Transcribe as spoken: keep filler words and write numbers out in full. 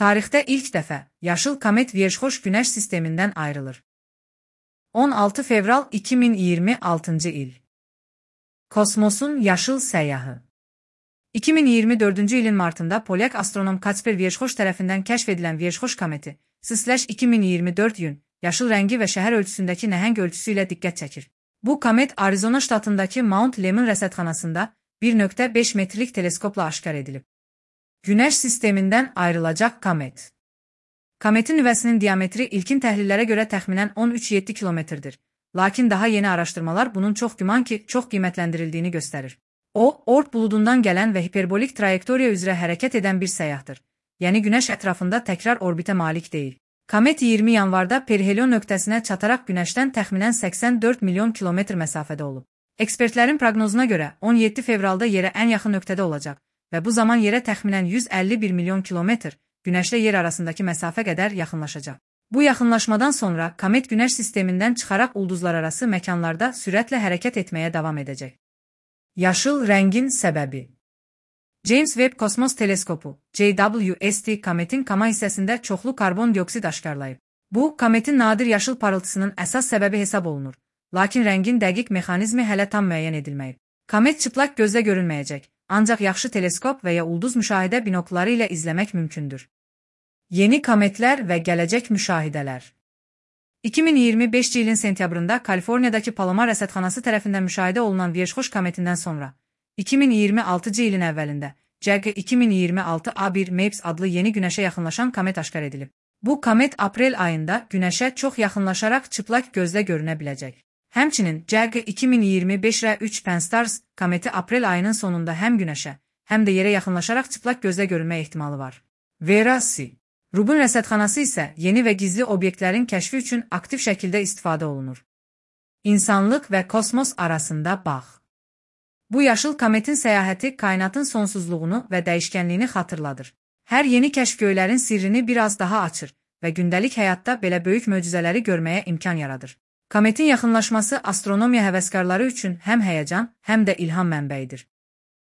Tarixdə ilk dəfə yaşıl komet Vierchoş Günəş sistemindən ayrılır. on altı fevral iki min iyirmi altıncı il. Kosmosun yaşıl səyyahı. iki min iyirmi dördüncü ilin martında polyak astronom Kacper Vierchoş tərəfindən kəşf edilən Vierchoş kometi iki min iyirmi dörd yün yaşıl rəngi və şəhər ölçüsündəki nəhəng ölçüsü ilə diqqət çəkir. Bu komet Arizona ştatındakı Mount Lemmon rəsədxanasında bir nöqtə beş metrlik teleskopla aşkar edilib. Günəş sistemindən ayrılacaq komet. Kometin nüvəsinin diametri ilkin təhlillərə görə təxminən on üç yeddi kilometrdir. Lakin daha yeni araşdırmalar bunun çox güman ki, çox qiymətləndirildiyini göstərir. O, Oort buludundan gələn və hiperbolik trayektoriya üzrə hərəkət edən bir səyyahdır. Yəni Günəş ətrafında təkrar orbitə malik deyil. Komet iyirmi yanvarda perihelion nöqtəsinə çataraq Günəşdən təxminən səksən dörd milyon kilometr məsafədə olub. Ekspertlərin proqnozuna görə on yeddi fevralda yerə ən yaxın nöqtədə olacaq və bu zaman yerə təxminən yüz əlli bir milyon kilometr, Günəşlə yer arasındakı məsafə qədər yaxınlaşacaq. Bu yaxınlaşmadan sonra komet Günəş sistemindən çıxaraq ulduzlararası məkanlarda sürətlə hərəkət etməyə davam edəcək. Yaşıl rəngin səbəbi. James Webb Kosmos Teleskopu J W S T kometin kama hissəsində çoxlu karbon dioksid aşkarlayıb. Bu, kometin nadir yaşıl parıltısının əsas səbəbi hesab olunur. Lakin rəngin dəqiq mexanizmi hələ tam müəyyən edilməyib. Komet çıplaq gözlə görünməyəcək, ancaq yaxşı teleskop və ya ulduz müşahidə binokları ilə izləmək mümkündür. Yeni kometlər və gələcək müşahidələr. iki min iyirmi beşinci ilin sentyabrında Kaliforniyadakı Palomar rəsədxanası tərəfindən müşahidə olunan Vierchoş kometindən sonra, iki min iyirmi altıncı ilin əvvəlində C G iki min iyirmi altı A bir Mapes adlı yeni Günəşə yaxınlaşan komet aşkar edilib. Bu komet aprel ayında Günəşə çox yaxınlaşaraq çıplaq gözlə görünə biləcək. Həmçinin C G iki min iyirmi beş R üç Pan-STARRS kometi aprel ayının sonunda həm Günəşə, həm də yerə yaxınlaşaraq çıplaq gözlə görünmə ehtimalı var. Vera-C. Rubin rəsədxanası isə yeni və gizli obyektlərin kəşfi üçün aktiv şəkildə istifadə olunur. İnsanlıq və kosmos arasında bağ. Bu yaşıl kometin səyahəti kainatın sonsuzluğunu və dəyişkənliyini xatırladır. Hər yeni kəşf göylərin sirrini biraz daha açır və gündəlik həyatda belə böyük möcüzələri görməyə imkan yaradır. Kometin yaxınlaşması astronomiya həvəskarları üçün həm həyəcan, həm də ilham mənbəyidir.